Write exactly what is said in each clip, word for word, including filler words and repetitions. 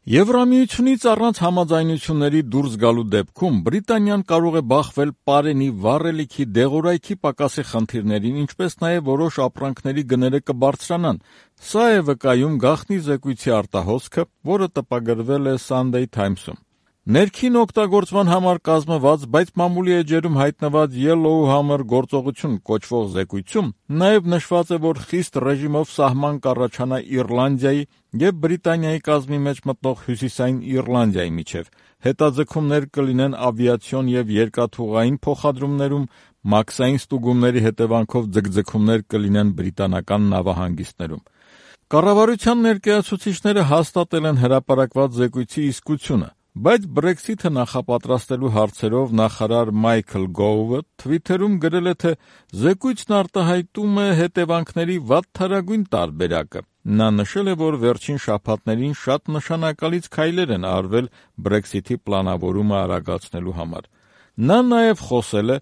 Եվրամիությունից առանց համաձայնությունների դուրս գալու դեպքում Բրիտանիան կարող է բախվել պարենի, վառելիքի, դեղորայքի պակասի խնդիրներին, ինչպես նաև որոշ ապրանքների գները կբարձրանան։ Սա է վկայում գաղտնի զեկույցի արտահոսքը, որը տպագրվել է Sunday Times-ում։ Ներքին օգտագործման համար կազմված, բայց մամուլի էջերում հայտնված Yellowhammer գործողություն կոչվող զեկույցում նաև նշված է, որ խիստ ռեժիմով սահման կառաջանա Իռլանդիայի և Բրիտանիայի կազմի մեջ մտնող Հյուսիսային Իռլանդիայի միջև, հետաձգումներ կլինեն ավիացիոն և երկաթուղային փոխադրումներում, մաքսային ստուգումների հետևանքով ձգձգումներ կլինեն բրիտանական նավահանգիստներում։ Կառավարության ներկայացուցիչները հաստատել են հրապարակված զեկույցի իսկությունը, բայց Brexit-ը նախապատրաստելու հարցերով նախարար Մայքլ Գովը Twitter-ում գրել է, թե զեկույցն արտահայտում է հետևանքների վատթարագույն տարբերակը։ Նա նշել է, որ վերջին շաբաթներին շատ նշանակալից քայլեր են արվել Brexit-ի պլանավորումը արագացնելու համար։ Նա նաև խոսել է,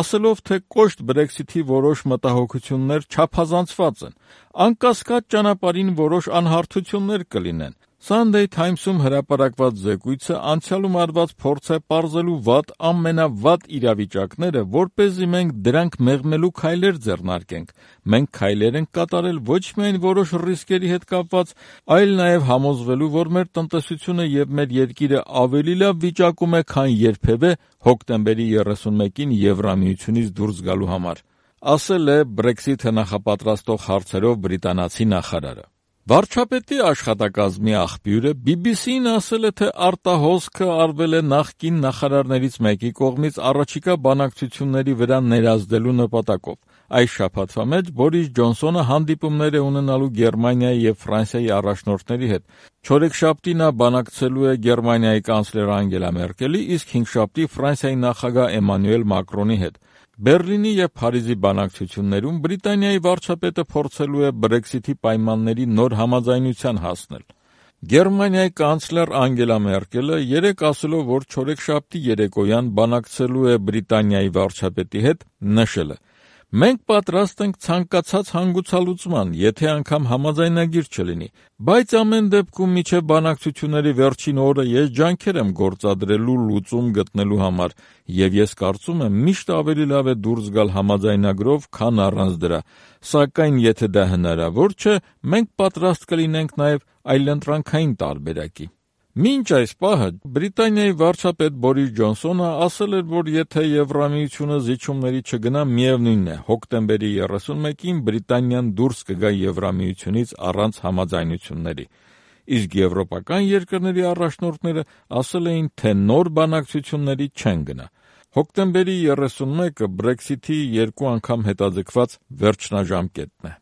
ասելով, թե կոշտ Brexit-ի որոշ մտահոգություններ չափազանցված են։ Անկասկած ճանապարհին որոշ անհարթություններ կլինեն։ Sunday Times-ում հրապարակված զեկույցը անցյալում արված փորձ է պարզելու վատ ամենավատ իրավիճակները, որպեսզի մենք դրանք մեղմելու քայլեր ձեռնարկենք։ Մենք քայլեր ենք կատարել ոչ միայն որոշ ռիսկերի հետ կապված, այլ նաև համոզվելու, որ մեր տնտեսությունը և մեր երկիրը ավելի լավ վիճակում է, քան երբևէ հոկտեմբերի երեսունմեկին Եվրամիությունից դուրս գալու համար, ասել է Brexit-ը նախապատրաստող հարցերով բրիտանացի նախարարը։ Վարչապետի աշխատակազմի աղբյուրը բի բի սի-ին ասել է, թե արտահոսքը արվել է նախկին նախարարներից մեկի կողմից առաջիկա բանակցությունների վրա ներազդելու նպատակով։ Այս շաբաթվա մեջ Բորիս Ջոնսոնը հանդիպումներ է ունենալու Գերմանիայի և Ֆրանսիայի առաջնորդների հետ։ Չորեքշաբթի նա բանակցելու է Գերմանիայի կանցլեր Անգելա Մերկելի, իսկ հինգշաբթի Ֆրանսիայի նախագահ Էմանուել Մակրոնի հետ։ Բեռլինի և Փարիզի բանակցություններում Բրիտանիայի վարչապետը փորձելու է Brexit-ի պայմանների նոր համաձայնության հասնել։ Գերմանիայի կանցլեր Անգելա Մերկելը երեկ ասելով, որ չորեքշաբթի երեկոյան բանակցելու է Բրիտանիայի վարչապետի հետ, նշել է. «Մենք պատրաստ ենք ցանկացած հանգուցալուծման, եթե անգամ համաձայնագիր չլինի, բայց ամեն դեպքում մինչև բանակցությունների վերջին օրը ես ջանքեր եմ գործադրելու լուծում գտնելու համար, և ես կարծում եմ միշտ ավելի լավ է դուրս գալ համաձայնագրով, քան առանց դրա, սակայն եթե դա հնարավոր չէ, մենք պատրաստ կլինենք նաև այլընտրանքային տարբերակի»։ Մինչ այս պահը Բրիտանիայի վարչապետ Բորիս Ջոնսոնը ասել էր, որ եթե Եվրամիությունը զիջումների չգնա, միևնույն է, հոկտեմբերի երեսունմեկին Բրիտանիան դուրս կգա Եվրամիությունից առանց համաձայնությունների։ Իսկ եվրոպական երկրների առաջնորդները ասել էին, թե նոր բանակցությունների չեն գնա։ Հոկտեմբերի երեսունմեկը Brexit-ի երկու անգամ հետաձգված վերջնաժամկետն է։